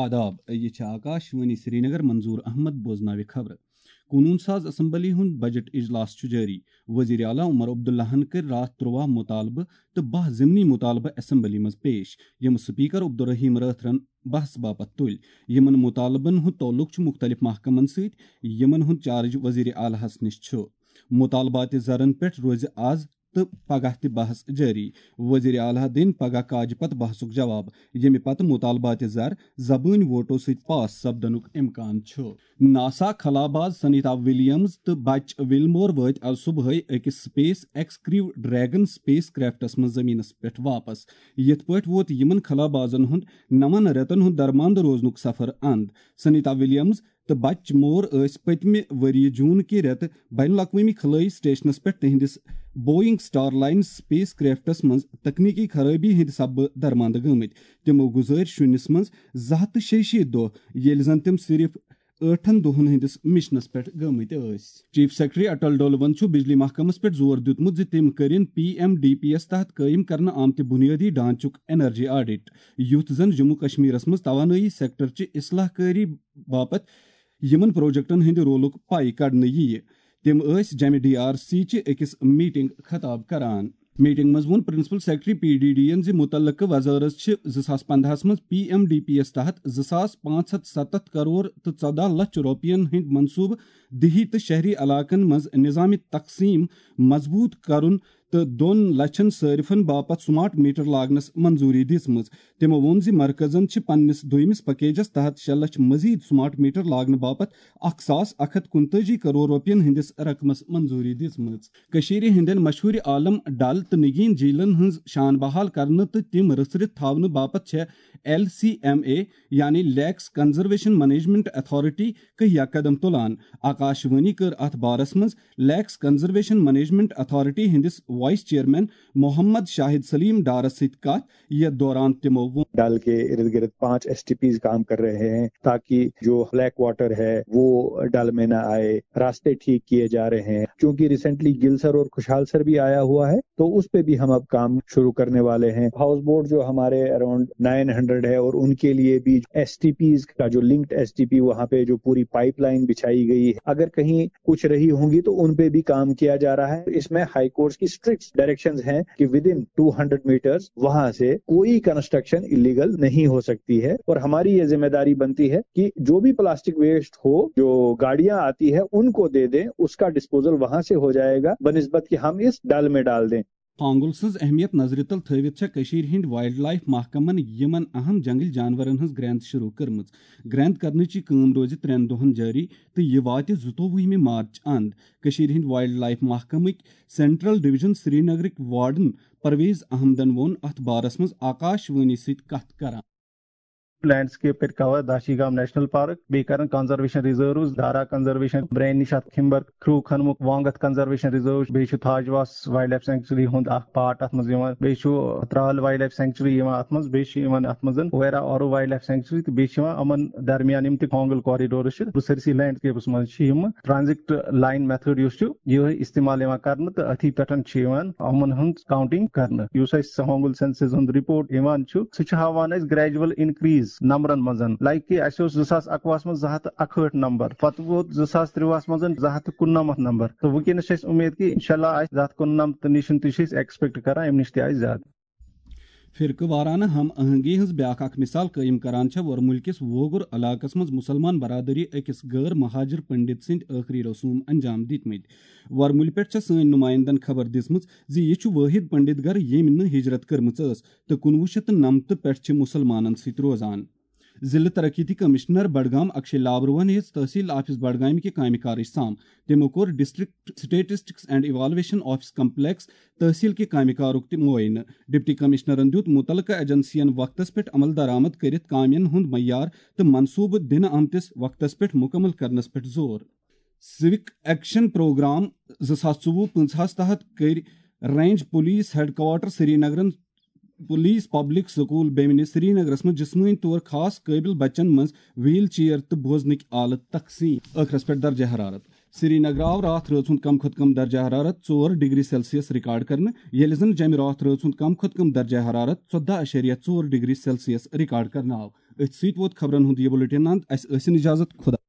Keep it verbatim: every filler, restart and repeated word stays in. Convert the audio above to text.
آداب، یہِ چھِ آکاش وانی سرینگر۔ منظور احمد بوزناوِ خبرٕ۔ قونوٗن ساز اسمبلی ہُنٛد بجٹ اجلاس چھُ جٲری۔ وزیر اعلیٰ عمر عبداللہَن کٔرۍ راتھ ترٛواہ مطالبہٕ تہٕ باہ ضمنی مطالبہٕ اسمبلی منٛز پیش، یِم سپیکر عبدالرحیم رٲتھرَن بحث باپتھ تُلۍ۔ یِمَن مطالبَن ہُنٛد تعلق چھُ مُختٔلِف محکمَن سۭتۍ، یِمَن ہُنٛد چارج وزیر اعلیٰ ہَس نِش چھُ۔ مطالبات زرن پٮ۪ٹھ روزِ آز تہٕ پگاہ تہِ بحث جٲری۔ وزیر اعلیٰ دِن پگاہ کاجہِ پتہٕ بحثُک جواب، ییٚمہِ پتہٕ مطالبات زر زبٲنۍ ووٹو سۭتۍ پاس سپدنُک امکان چھُ۔ ناسا خلاباز سنیتا ولیمز تہٕ بچ ویلمور وٲتۍ از صبحٲے أکِس SpaceX Crew Dragon spacecraft منٛز زمینس پٮ۪ٹھ واپس۔ یِتھ پٲٹھۍ ووت یِمن خلابازن ہُنٛد نَوَن رٮ۪تن ہُنٛد درماندٕ روزنُک سفر اند۔ سنیتا ولیمز تہٕ بچ مور ٲسۍ پٔتمہِ ؤریہِ جون کہِ رٮ۪تہٕ بین الاقوٲمی خلٲیی سٹیشنس پٮ۪ٹھ تِہنٛدِس Boeing Starline spacecraft منٛز تکنیکی خرٲبی ہٕنٛدِ سببہٕ درماندٕ گٔمٕتۍ۔ تِمو گُزٲرۍ شُنِس منٛز زٕ ہَتھ تہٕ شیٚیہِ شیٖتھ دۄہ، ییٚلہِ زن تِم صرف ٲٹھن دۄہن ہٕنٛدِس مشنس پٮ۪ٹھ گٔمٕتۍ ٲسۍ۔ چیف سیکرٹری اٹل ڈولون چھُ بجلی محکمس پٮ۪ٹھ زور دیُتمُت زِ تِم کٔرِن پی ایم ڈی پی یس تحت قٲیِم کرنہٕ آمتہِ بُنیٲدی ڈھانچُک انرجی آڈٹ، یُتھ زن جموں کشمیرس منٛز توانٲیی سیکٹر چہِ اصلاح کٲری باپتھ یِمن پروجیکٹن ہٕنٛدِ رولُک پاے کڑنہٕ یِیہِ۔ تِم ٲسۍ جمہِ ڈی آر سی چہِ أکِس میٹنگ خطاب کران۔ میٹنگ منٛز ووٚن principal secretary P D D یَن زِ مُتعلقہٕ وزارت چھِ زٕ ساس پنٛداہَس منٛز پی ایم ڈی پی یَس تحت زٕ ساس پانٛژھ ہَتھ سَتَتھ کرور تہٕ ژۄداہ لچھ رۄپیَن ہٕنٛدۍ منصوٗبہٕ دیہی تہٕ شہری علاقن منٛز نظام تقسیٖم مضبوٗط کرُن تہٕ دۄن لچھن صٲرفن باپتھ سمارٹ میٹر لاگنس منظوٗری دِژمٕژ۔ تِمو ووٚن زِ مرکزن چھِ پننِس دوٚیمِس پیکیجس تحت شےٚ لچھ مزید سمارٹ میٹر لاگنہٕ باپتھ اکھ ساس اکھ ہتھ کُنتٲجی کرور رۄپین ہٕنٛدِس رقمس منظوٗری دِژمٕژ۔ کٔشیٖرِ ہٕنٛدٮ۪ن مشہوٗر عالم ڈل تہٕ نگین جھیلن ہٕنٛز شان بحال کرنہٕ تہٕ تِم رٔژھرِتھ تھاونہٕ باپتھ چھےٚ ایل سی ایم اے، یعنی لیکس کنزرویشن مینجمنٹ اتھارٹی، کہیا قدم تُلان۔ آکاش وانی کٔر اتھ بارس منٛز لیکس کنزرویشن مینجمنٹ اتھارٹی ہٕنٛدِس وائس چیئرمین محمد شاہد سلیم ڈارس سۭتۍ کتھ۔ یتھ دوران تِمو ووٚن۔ ڈل کے ارد گرد پانچ ایس ٹی پیز کام کر رہے ہیں، تاکہ جو بلیک واٹر ہے، وہ ڈل میں نہ آئے، راستے ٹھیک کیے جا رہے ہیں۔ چونکہ ریسنٹلی گل سر اور خوشحال سر بھی آیا ہوا ہے، تو اس پہ بھی ہم اب کام شروع کرنے والے ہیں۔ ہاؤس بوٹ جو ہمارے اراؤنڈ نائن ہنڈریڈ ہے، اور ان کے لیے بھی ایس ٹی پیز کا جو لنکڈ ایس ٹی پی، وہاں پہ جو پوری پائپ لائن بچھائی گئی ہے، اگر کہیں کچھ رہی ہوں گی تو ان پہ بھی کام کیا جا رہا ہے۔ اس میں ہائی کورٹس کی اسٹرکٹ ڈائریکشنز ہیں کہ ودن ٹو ہنڈریڈ میٹرز وہاں سے کوئی کنسٹرکشن الیگل نہیں ہو سکتی ہے، اور ہماری یہ ذمہ داری بنتی ہے کہ جو بھی پلاسٹک ویسٹ ہو، جو گاڑیاں آتی ہے، ان کو دے دیں، اس کا ڈسپوزل وہاں سے ہو جائے گا، بنسبت کہ ہم اس ڈل میں ڈال دیں۔ ہانگل سٕنٛز اہمیت نظرِ تل تھٲوِتھ چھےٚ کٔشیٖرِ ہٕنٛدۍ وائلڈ لائف محکمن یِمن اہم جنگلی جانورن ہٕنٛز گرینت شروع کٔرمٕژ۔ گرینت کرنٕچ یہِ کٲم روزِ ترٛٮ۪ن دۄہن جٲری تہٕ یہِ واتہِ زٕتووُہمہِ مارچ اند۔ کٔشیٖرِ ہٕنٛدۍ وائلڈ لائف محکمٕکۍ سینٹرل ڈویژن سرینگرٕکۍ وارڈن پرویز احمدن ووٚن اتھ بارس منٛز آکاش وانی سۭتۍ کتھ کران۔ لینڈ سکیپ کَرِ کور داشی گام نیشنل پارک، بیٚیہِ کَرن کنزرویشن ریزروز، دارا کنزرویشن، برین نِش اَتھ کھمبر کھرٛو کھنمُک وانگتھ کنزرویشن ریزرو، بیٚیہِ چھُ تھاجواس وائلڈ لائف سینکچری ہُنٛد اکھ پارٹ اَتھ منٛز یِوان، بیٚیہِ چھُ ترال وائلڈ لائف سینکچری یِوان اَتھ منٛز، بیٚیہِ چھُ یِوان اَتھ منٛز ویرا آرو وائلڈ لائف سینکچری، تہٕ بیٚیہِ چھِ یِوان یِمن درمیان یِم تہِ کانگل کوریڈورز چھِ، سٲرسٕے لینڈ سکیپس منٛز چھِ یِم ٹرانزٹ لائن میتھڈ یُس چھُ، یِہوٚے استعمال یِوان کرنہٕ تہٕ أتھی پٮ۪ٹھ چھِ یِوان یِمن ہٕنٛز کاؤنٹنگ کرنہٕ۔ یُس اَسہِ ہانگل سینسس ہُنٛد رپورٹ یِوان چھُ، سُہ چھُ ہاوان اَسہِ گریجول انکریز نمبرن منٛز۔ لائک کہِ اَسہِ اوس زٕ ساس اَکوُہَس منٛز زٕ ہَتھ تہٕ اَکہٲٹھ نمبر، پتہٕ ووت زٕ ساس ترٛۆوُہَس منٛز زٕ ہَتھ تہٕ کُننَمَتھ نمبر، تہٕ وٕنکیٚنس چھِ اَسہِ اُمید کہِ انشاءاللہ آسہِ زٕ ہَتھ کُننَمَتھ تہٕ نِش تہِ چھِ أسۍ ایکسپیکٹ کران، اَمہِ نِش تہِ آسہِ زیادٕ۔ فرقہٕ وارانہٕ ہم آہنگی ہٕنٛز بیاکھ اکھ مثال قٲیِم کران چھےٚ ورمُلۍ کِس ووگُر علاقس منٛز مُسلمان برادری أکِس غٲر مہاجر پنڈت سٕنٛدۍ ٲخری رسوم انجام دِتمٕتۍ۔ ورمُلۍ پٮ۪ٹھ چھےٚ سٲنۍ نُمٲیندن خبر دِژمٕژ زِ یہِ چھُ وٲحد پنڈت گھر، ییٚمۍ نہٕ ہجرت کٔرمٕژ ٲس تہٕ کُنوُہ شیٚتھ تہٕ نَمتہٕ پٮ۪ٹھ چھِ مُسلمانن سۭتۍ روزان۔ ضلع ترقیتی کمشنر بڈگام اکشے لابروہن ہیٚژ تحصیل آفس بڈگامہِ کہِ کامہِ کارٕچ سام۔ تِمو کوٚر district statistics and evaluation office complex تحصیل کہِ کامہِ کارُک تہِ معائنہٕ۔ ڈپٹی کمشنرن دیُت مُتعلقہٕ ایجنسین وقتس پٮ۪ٹھ عمل درآمد کٔرِتھ کامین ہُنٛد معیار تہٕ منصوبہٕ دِنہٕ آمتِس وقتس پٮ۪ٹھ مُکمل کرنس پٮ۪ٹھ زور۔ سوک ایکشن پروگرام زٕ ساس ژوٚوُہ پٕنٛژٕہَس تحت کٔرۍ رینج پولیس ہیڈ کوارٹر سرینگرن پولیس پبلک سکول بیمنہِ سرینگرس منٛز جسمٲنی طور خاص قٲبل بچن منٛز ویل چیئر تہٕ بوزنٕکۍ آلہٕ تقسیٖم۔ ٲخرس پٮ۪ٹھ درجہ حرارت۔ سرینگرٕ آو راتھ رٲژ ہُنٛد کم کھۄتہٕ کم درجہ حرارت ژور ڈگری سیلسیس ریکارڈ کرنہٕ، ییٚلہِ زن جمہِ راتھ رٲژ ہُنٛد کم کھۄتہٕ کم درجہ حرارت ژۄدہ اعشاریہ ژور ڈگری سیلسیس ریکارڈ کرنہٕ آو۔ أتھۍ سۭتۍ ووت خبرن ہُنٛد یہِ بُلٹن اند۔ اسہِ ٲسِن اجازت، خدا۔